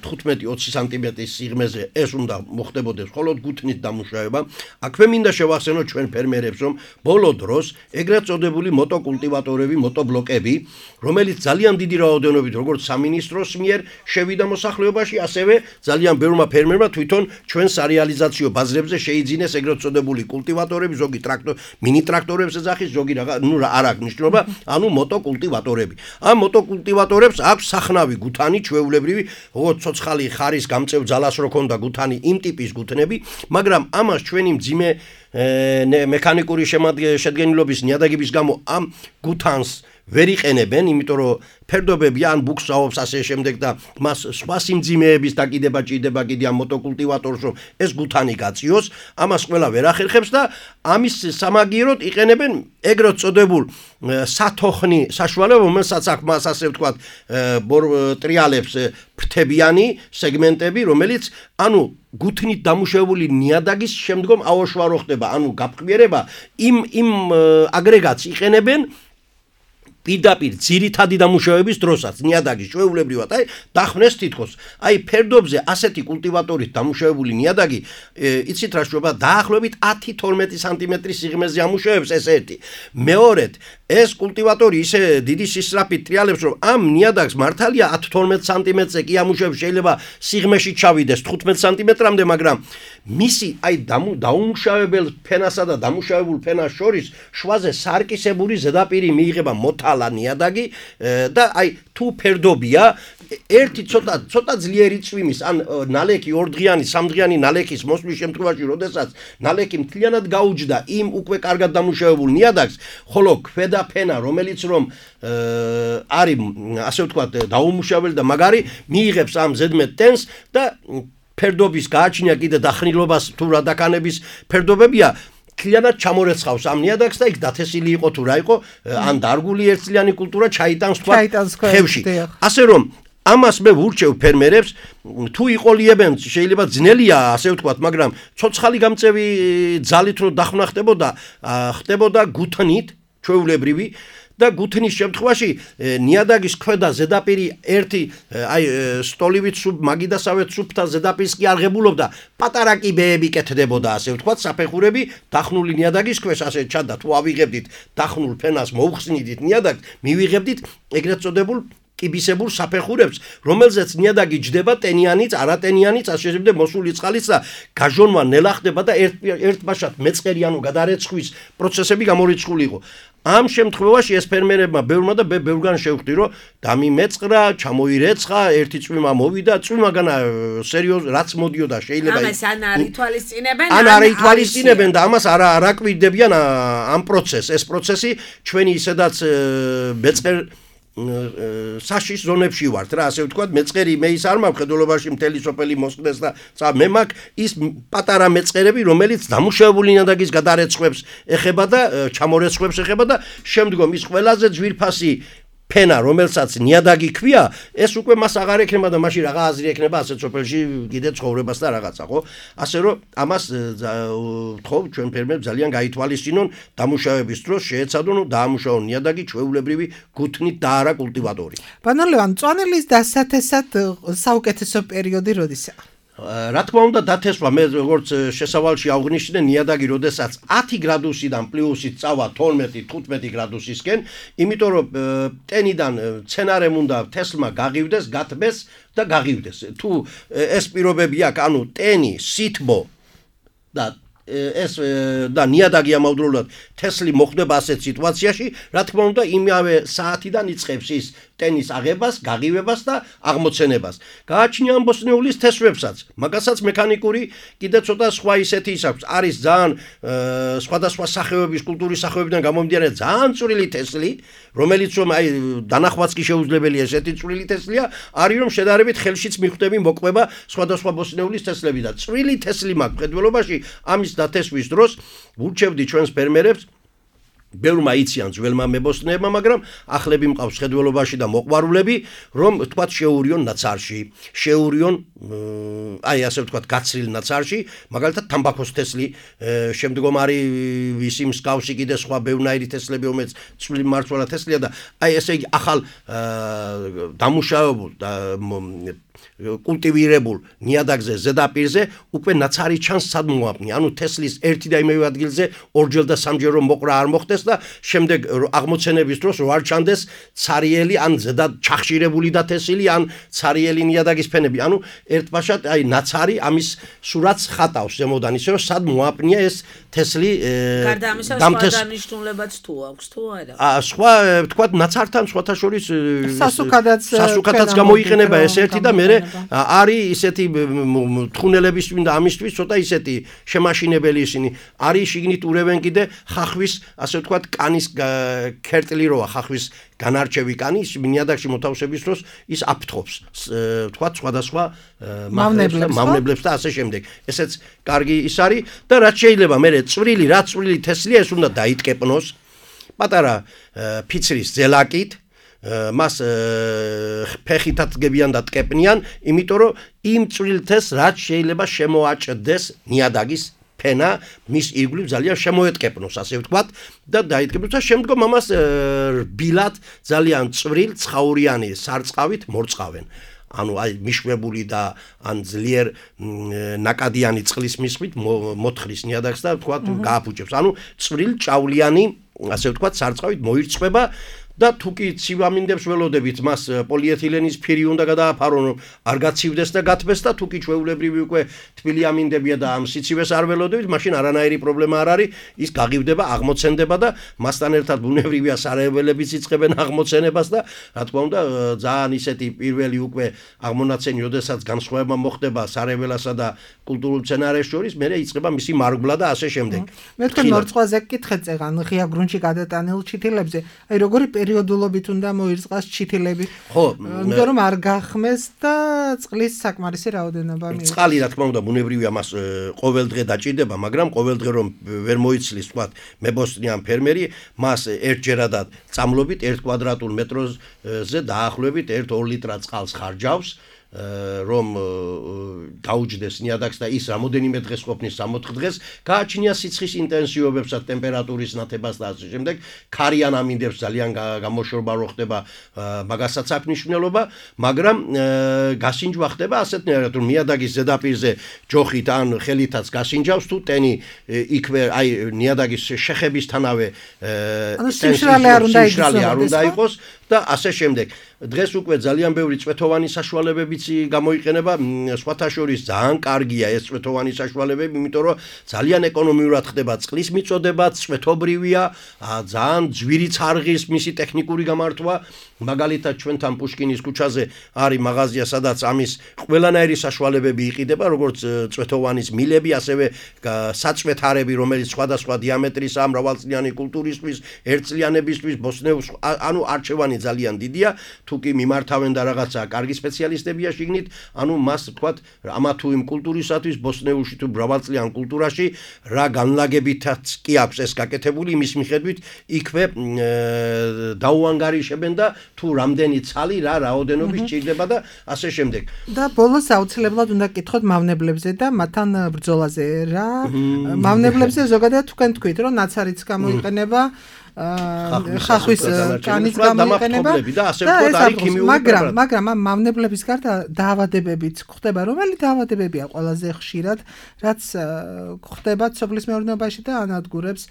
თხუთმეტი ოცი სანტიმეტრის სიღრმეზე ეს უნდა მოხდებოდეს მხოლოდ გუთნით დამუშავება. აქვე მინდა შევახსენოთ ჩვენ ფერმერებს, რომ ბოლო დროს ეგრეთ წოდებული მოტოკულტივატორები, მოტობლოკები, რომელიც ძალიან დიდი რაოდენობით როგორც სამინისტროს მიერ შევიდა მოსახლეობაში, ასევე ძალიან ბევრმა ფერმერმა თვითონ ჩვენ სარეალიზაციო ბაზრებზე შეიძინეს ეგრეთ წოდებული კულტივატორები, ზოგი ტრაქტორ, მინი ტრაქტორებს ეძახის, ზოგი რაღა, ნუ არ აქვს მნიშვნელობა, ანუ მოტოკულტივატორები. ამ მოტოკულტივატორებს აქვს სახნავი გუთანი, ჩვეულებრივი, როგორც ცოცხალი ხარის გამწევ ძალას რო ქონდა გუთანი, იმ ტიპის გუთნები, მაგრამ ამას ჩვენი მძიმე მექანიკური შედგენილობის ნიადაგების გამო ამ გუთანს ვერ იყენებენ, იმიტომ რომ ფერდობები ან ბუქსაობს ასე შემდეგ და მას სხვა სიმძიმეების დაკიდება ჭირდება კიდე ამ მოტოკულტივატორს, რომ ეს გუთანი გაწიოს, ამას ყველა ვერ ახერხებს და ამის სამაგიეროდ იყენებენ ეგრეთ წოდებულ სათოხნი საშუალება, რომელსაც აქვს მას ასე ვთქვათ ტრიალებს ფრთებიანი სეგმენტები, რომელიც ანუ გუთნით დამუშავებული ნიადაგის შემდგომ აოშვარო ხდება, ანუ გაფრთხილება იმ იმ აგრეგატს იყენებენ პირდაპირ ძირითადი დამუშავების დროსაც ნიადაგის ჩვეულებრივად აი დახვნეს თითქოს აი ფერდობზე ასეთი კულტივატორით დამუშავებული ნიადაგი იცით რა შეიძლება დაახლოებით ათი თორმეტი სანტიმეტრის სიღრმეზე ამუშავებს ეს ერთი მეორედ ეს კულტივატორი ისე დიდი სისწრაფით ტრიალებს რომ ამ ნიადაგს მართალია ათი თორმეტ სანტიმეტრზე კი ამუშავებს შეიძლება სიღრმეში ჩავიდეს თხუთმეტ სანტიმეტრამდე მაგრამ მისი აი დაუმუშავებელ ფენასა და დამუშავებულ ფენას შორის შვაზე სარკისებური ზედაპირი მიიღება მოთალა ნიადაგი და აი თუ ფერდობია ერთი ცოტა ცოტა ძლიერი წვიმის ან ნალექი ორდღიანი სამდღიანი ნალექის მოსვლის შემთხვევაში როდესაც ნალექი მთლიანად გაუჯდა იმ უკვე კარგად დამუშავებულ ნიადაგს ხოლო ქვედა ფენა რომელიც რომ არის ასე ვთქვათ დაუმუშავებელი და მაგარი მიიღებს ამ ზედმეტ ტენს და ფერდობის გააჩნია კიდე დახნილობას თუ რა დაკანების ფერდობებია თლიანად ჩამორეცხავს ამ ნიადაგს და იქ დათესილი იყო თუ რა იყო ან დარგული ერთწლიანი კულტურა ჩაიტანს თქვა ხევში ასე რომ ამას მე ვურჩევ ფერმერებს თუ იყოლიებენ შეიძლება ძნელია ასე ვთქვათ მაგრამ ცოცხალი გამწევი ძალით რო დახმნა ხდებოდა ხდებოდა გუთნით ჩვეულებრივი და გუთნის შემთხვევაში ნიადაგის ქვედა ზედაპირი ერთი აი სტოლივით სუბ მაგიდასავეთ სუბთან ზედაპირს კი არ ღებულობდა პატარა კიბეები კეთდებოდა ასე ვთქვათ საფეხურები დახნული ნიადაგის ქვეშ ასე ჩანდა თუ ავიღებდით დახნულ ფენას მოუხსნიდით ნიადაგს მივიღებდით ეგრეთ წოდებულ კიბისებურ საფეხურებს რომელზეც ნიადაგი ჯდება ტენიანიც არატენიანიც ასე შემდეგ მოსული წყალიც და გაჟონვა ნელა ხდება და ერთ ერთბაშად მეწყერი ანუ გადარეცხვის პროცესები გამორიცხული იყო ამ შემთხვევაში ეს ფერმერებმა ბევრმა და ბევრგან შევხვდი რომ დამიმეწყრა, ჩამოირეცხა, ერთი წვიმა მოვიდა, წვიმაგანა სერიოზ რაც მოდიოდა შეიძლება ამას ან არ ითვალისწინებენ ან არ ითვალისწინებენ და ამას არ არ აკვირდებიან ამ პროცესს ეს პროცესი ჩვენი ისედაც მეწყერ საშის ზონებში ვართ რა ასე ვთქვათ მეწყერი მე ის არ მაქვს ხედულობაში მთელი სოფელი მოსკდეს და მე მაქვს ის პატარა მეწყერები რომელიც დამუშავებული ნიადაგის გადარეცხვებს ეხება და ჩამორეცხვებს ეხება და შემდგომ ის ყველაზე ძვირფასი ფენა რომელსაც ნიადაგი ქვია ეს უკვე მას აღარ ექნება და მაშინ რაღა აზრი ექნება ასეთ სოფელში კიდე ცხოვრებას და რაღაცა ხო ასე რომ ამას ხო ჩვენ ფერმერებს ძალიან გაითვალისწინონ დამუშავების დროს შეეცადონ დაამუშავონ ნიადაგი ჩვეულებრივი გუთნით და არა კულტივატორი ბანო ლევან წვანელის დასათესად საუკეთესო პერიოდი როდისაა რა თქმა უნდა დათესვა მე როგორც შესავალში აღნიშნე ნიადაგი როდესაც ათი გრადუსიდან პლუსით წავა თორმეტი თხუთმეტი გრადუსისკენ იმიტომ რომ ტენიდან მცენარემ უნდა თესლმა გაღივდეს გათბეს და გაღივდეს თუ ეს პირობები აქვს ანუ ტენი სითბო და ეს და ნიადაგი ამავდროულად თესლი მოხდება ასეთ სიტუაციაში რა თქმა უნდა იმავე საათიდან იწყებს ის ტენის აღებას, გაღივებას და აღმოცენებას. გააჩნია ამბოსნეულის თესვებსაც, მაგასაც მექანიკური კიდე ცოტა სხვა ისეთი ის აქვს. არის ძალიან სხვადასხვა სახეობის კულტურის სახეობიდან გამომდინარე ძალიან წვრილი თესლი, რომელიც რომ აი დანახვაც კი შეუძლებელია ესეთი წვრილი თესლია, არის რომ შედარებით ხელშიც მიხვდები მოყვება სხვადასხვა ბოსნეულის თესლები და წვრილი თესლი მაქვს მხედველობაში ამის დათესვის დროს ვურჩევდი ჩვენს ფერმერებს ბევრმა იციან ძველმა მებოსტნეებმა, მაგრამ ახლები მყავს ხედველობაში და მოყვარულები, რომ თქვათ შეურიონ ნაცარში, შეურიონ აი ასე ვთქვათ გაცრილ ნაცარში, მაგალითად თამბაქოს თესლი, შემდგომ არის ვისი მსგავსი კიდე სხვა ბევრნაირი თესლები, რომელიც წვრილი მარცვალა თესლია და აი ესე იგი ახალ დამუშავებულ და კულტივირებულ ნიადაგზე ზედაპირზე უკვე ნაცარი ჩანს სად მოაპნი. ანუ თესლის ერთი და იმავე ადგილზე ორჯერ და სამჯერ რომ მოყრა არ მოხდეს და შემდეგ აღმოცენების დროს რო არ ჩანდეს ცარიელი ან ზედად ჩახშირებული და თესილი ან ცარიელი ნიადაგის ფენები. ანუ ერთბაშად აი ნაცარი ამის სურათს ხატავს ზემოდან ისე რომ სად მოაპნია ეს თესლი გარდა ამისა სხვა დანიშნულებაც თუ აქვს თუ არა? აა სხვა ვთქვათ ნაცართან სხვათა შორის სასუქადაც სასუქადაც გამოიყენება ეს ერთი და მე არის ისეთი თხუნელების და ამისთვის ცოტა ისეთი შემაშინებელი ისინი არის შიგნით ურევენ კიდე ხახვის ასე ვთქვათ კანის ქერტლი როა ხახვის განარჩევი კანი ნიადაგში მოთავსების დროს ის აფრთხობს ვთქვათ სხვადასხვა მავნებლებს და ასე შემდეგ ესეც კარგი ის არის და რაც შეიძლება მე წვრილი რა წვრილი თესლია ეს უნდა დაიტკეპნოს პატარა ფიცრის ზელაკით მას ფეხითაც გებიან და ტკეპნიან, იმიტომ რომ იმ წვრილთეს რაც შეიძლება შემოაჭდეს ნიადაგის ფენა, მის ირგვლივ ძალიან შემოეტკეპნოს, ასე ვთქვათ, და დაიტკეპნოს და შემდგომ ამას რბილად ძალიან წვრილ ცხაურიანი სარწყავით მორწყავენ. ანუ აი მიშვებული და ან ძლიერ ნაკადიანი წყლის მისხვით მოთხრის ნიადაგს და ვთქვათ გააფუჭებს. ანუ წვრილ ჭავლიანი, ასე ვთქვათ, სარწყავით მოირწყვება და თუ კი ცივამინდებს ველოდებით მას პოლიეთილენის ფირი უნდა გადააფარონ რომ არ გაცივდეს და გათბეს და თუ კი ჩვეულებრივი უკვე თბილი ამინდებია და ამ სიცივეს არ ველოდებით მაშინ არანაირი პრობლემა არ არის ის გაღივდება აღმოცენდება და მასთან ერთად ბუნებრივია სარეველებიც იწყებენ აღმოცენებას და რა თქმა უნდა ძალიან ისეთი პირველი უკვე აღმონაცენი ოდესაც განსხვავება მოხდება სარეველასა და კულტურულ მცენარეს შორის მე იწყება მისი მარგბლა და ასე შემდეგ მე თქვენ მორწყვაზე გკითხეთ წეგან ღია გრუნტში გადატანილ ჩითილებზე აი როგორი პერიოდულობით უნდა მოირწყას ჩითილები. ხო, იმიტომ რომ არ გახმეს და წყლის საკმარისი რაოდენობა მიიღოს. წყალი რა თქმა უნდა ბუნებრივია მას ყოველ დღე დაჭირდება, მაგრამ ყოველ დღე რომ ვერ მოიცლის, თქვათ, მებოსტნიან ფერმერი, მას ერთჯერადად წამლობით ერთ კვადრატულ მეტრზე დაახლოებით ერთ ორ ლიტრად წყალს ხარჯავს. რომ დაუჯდეს ნიადაგს და ის რამოდენიმე დღეს ყოფნის სამოთხ დღეს გააჩნია სიცხის ინტენსივობებსა ტემპერატურის ნათებას და ასე შემდეგ ქარიან ამინდებს ძალიან გამოშორება რო ხდება მაგასაც აქვს მნიშვნელობა მაგრამ გასინჯვა ხდება ასეთნაირად რომ ნიადაგის ზედაპირზე ჯოხით ან ხელითაც გასინჯავს თუ ტენი იქვე აი ნიადაგის შეხებისთანავე სიშრალე არ უნდა იყოს და ასე შემდეგ დღეს უკვე ძალიან ბევრი წვეთოვანი საშუალებებიც გამოიყენება სხვათა შორის ძალიან კარგია ეს წვეთოვანი საშუალებები იმიტომ რომ ძალიან ეკონომიურად ხდება წყლის მიწოდება წვეთობრივია ძალიან ძვირი წარღის მისი ტექნიკური გამართვა მაგალითად ჩვენთან პუშკინის ქუჩაზე არის მაღაზია სადაც ამის ყველანაირი საშუალებები იყიდება როგორც წვეთოვანის მილები ასევე საწვეთარები რომელიც სხვადასხვა დიამეტრისაა მრავალწლიანი კულტურისთვის ერთწლიანებისთვის ბოსნეუს ანუ არჩევანი ძალიან დიდია თუ კი მიმართავენ და რაღაცა კარგი სპეციალისტებია შიგნით ანუ მას თქვათ ამა თუ იმ კულტურისათვის ბოსნეუში თუ მრავალწლიან კულტურაში რა განლაგებითაც კი აქვს ეს გაკეთებული იმის მიხედვით იქვე დაუანგარიშებენ და თუ რამდენი ცალი რა რაოდენობის ჭირდება და ასე შემდეგ. და ბოლოს აუცილებლად უნდა გკითხოთ მავნებლებზე და მათთან ბრძოლაზე რა მავნებლებზე ზოგადად თქვენ თქვით რომ ნაცარიც გამოიყენება ხახვის კანის გამოიყენება და ასე ვთქვათ არის ქიმიური მაგრამ მაგრამ ამ მავნებლების გარდა დაავადებებიც ხდება რომელი დაავადებებია ყველაზე ხშირად რაც ხდება სოფლის მეურნეობაში და ანადგურებს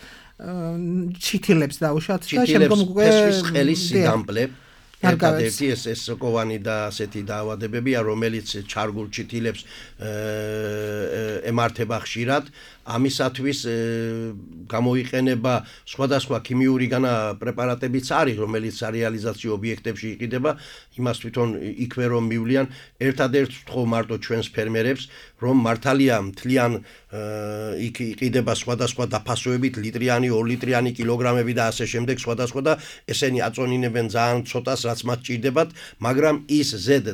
ჩითილებს დაუშვათ და შემდგომ უკვე ხელის სიგამბლე ერთადერთი ეს ეს სოკოვანი და ასეთი დაავადებებია რომელიც ჩარგულ ჩითილებს ემართება ხშირად ამისათვის გამოიყენება სხვადასხვა ქიმიური განა პრეპარატებიც არის რომელიც რეალიზაციო ობიექტებში იყიდება იმას თვითონ იქვე რომ მივლიან ერთადერთს ვთხოვ მარტო ჩვენს ფერმერებს რომ მართალია მთლიან იქ იყიდება სხვადასხვა დაფასოებით ლიტრიანი ორ ლიტრიანი კილოგრამები და ასე შემდეგ სხვადასხვა და ესენი აწონინებენ ძალიან ცოტას რაც მათ ჭირდებათ, მაგრამ ის ზედ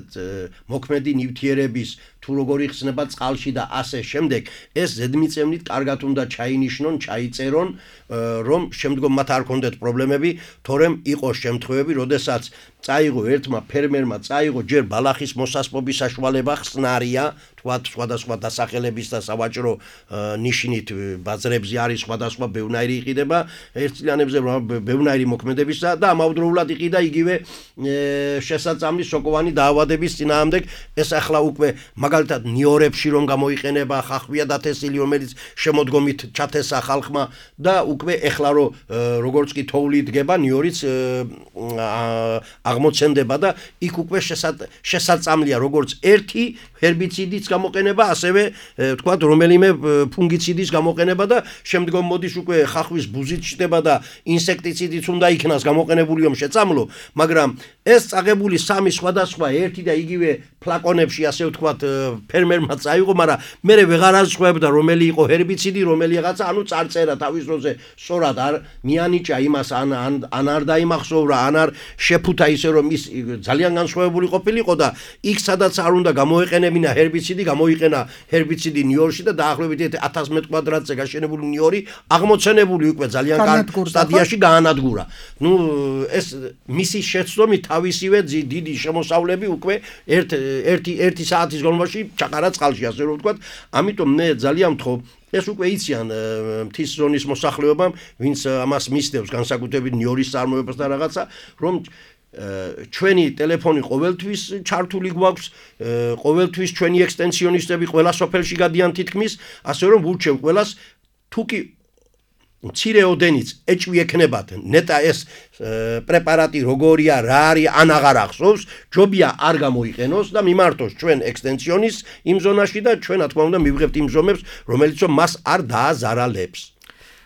მოქმედი ნივთიერების თუ როგორი ხსნება წყალში და ასე შემდეგ, ეს ზედმიწევნით კარგად უნდა ჩაინიშნონ, ჩაიწერონ, რომ შემდგომ მათ არ ქონდეთ პრობლემები, თორემ იყო შემთხვევები, როდესაც წაიღო ერთმა ფერმერმა წაიღო ჯერ ბალახის მოსასპობის საშუალება ხსნარია, თქვათ სხვადასხვა დასახელების და სავაჭრო ნიშნით ბაზრებზე არის სხვადასხვა ბევნაირი იყიდება, ერთწლიანებზე ბევნაირი მოქმედებისა და ამავდროულად იყიდა იგივე შესაწამლის სოკოვანი დაავადების წინააღმდეგ, ეს ახლა უკვე მაგალითად ნიორებში რომ გამოიყენება ხახვია დათესილი, რომელიც შემოდგომით ჩათესა ხალხმა და უკვე ეხლა რომ როგორც კი თოვლი დგება, ნიორიც აღმოცენდება და იქ უკვე შესაწამლია როგორც ერთი ჰერბიციდიც გამოყენება, ასევე თქვათ რომელიმე ფუნგიციდის გამოყენება და შემდგომ მოდის უკვე ხახვის ბუზით ჩდება და ინსექტიციდიც უნდა იქნას გამოყენებული რომ შეწამლო, მაგრამ ეს წაღებული სამი სხვადასხვა ერთი და იგივე ფლაკონებში ასე ვთქვათ ფერმერმა წაიღო, მაგრამ მე ვეღარ ასწვევდა რომელი იყო ჰერბიციდი, რომელი რაღაცა, ანუ წარწერა თავის დროზე სწორად არ მიანიჭა იმას, ან ან არ დაიმახსოვრა, ან არ შეფუთა ისე რომ ის ძალიან განსხვავებული ყოფილიყო და იქ სადაც არ უნდა გამოეყენებინა ჰერბიციდი, გამოიყენა ჰერბიციდი ნიორში და დაახლოებით ათას მეტრ კვადრატზე გაშენებული ნიორი აღმოცენებული უკვე ძალიან კარგ სტადიაში გაანადგურა. ნუ ეს მისი შეცდომით თავისივე დიდი შემოსავლები უკვე ერთ ერთი ერთი საათის განმავლობაში ჩაყარა წყალში, ასე რომ ვთქვათ, ამიტომ მე ძალიან ვთხოვ ეს უკვე იციან მთის ზონის მოსახლეობამ, ვინც ამას მისდევს განსაკუთრებით ნიორის წარმოებას და რაღაცა, რომ ჩვენი ტელეფონი ყოველთვის ჩართული გვაქვს, ყოველთვის ჩვენი ექსტენსიონისტები ყველა სოფელში გადიან თითქმის, ასე რომ ვურჩევ ყველას, თუ კი მცირე ოდენიც ეჭვი ექნებათ ნეტა ეს პრეპარატი როგორია, რა არის, ან აღარ ახსოვს, ჯობია არ გამოიყენოს და მიმართოს ჩვენ ექსტენსიონის იმ ზონაში და ჩვენ რა თქმა უნდა მივიღებთ იმ ზომებს, რომელიც მას არ დააზარალებს.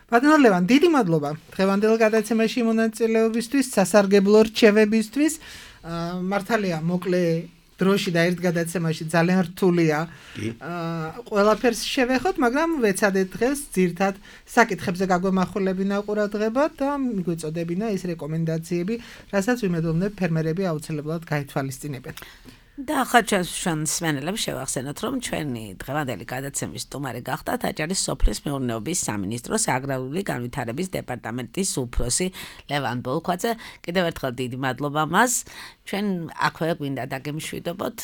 ბატონო ლევან, დიდი მადლობა დღევანდელ გადაცემაში მონაწილეობისთვის, სასარგებლო რჩევებისთვის. მართალია, მოკლე დროში და ერთ გადაცემაში ძალიან რთულია ყველაფერს შევეხოთ, მაგრამ ვეცადეთ დღეს ძირთად საკითხებზე გაგვემახვილებინა ყურადღება და მიგვეწოდებინა ის რეკომენდაციები, რასაც ვიმედოვნებ ფერმერები აუცილებლად გაითვალისწინებენ. და ახლა ჩვენ სვენელებს შევახსენოთ, რომ ჩვენი დღევანდელი გადაცემის სტუმარი გახდათ აჭარის სოფლის მეურნეობის სამინისტროს აგრარული განვითარების დეპარტამენტის უფროსი ლევან ბოლქვაძე. კიდევ ერთხელ დიდი მადლობა მას. ჩვენ აქვე გვინდა დაგემშვიდობოთ,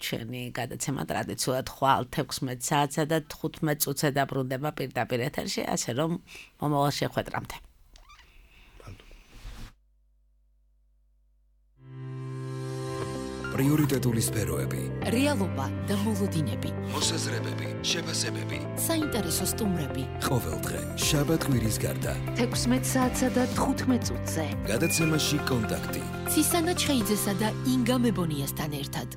ჩვენი გადაცემა ტრადიციულად ხვალ თექვსმეტ საათსა და თხუთმეტ წუთზე დაბრუნდება პირდაპირ ეთერში, ასე რომ მომავალ შეხვედრამდე. პრიორიტეტული სფეროები, რეალობა და მოლოდინები, მოსაზრებები, შეფასებები, საინტერესო სტუმრები. ყოველდღე შაბათ კვირის გარდა თექვსმეტ საათსა და თხუთმეტ წუთზე. გადაცემაში კონტაქტი. ცისანა ჩხეიძესა და ინგა მებონიასთან ერთად.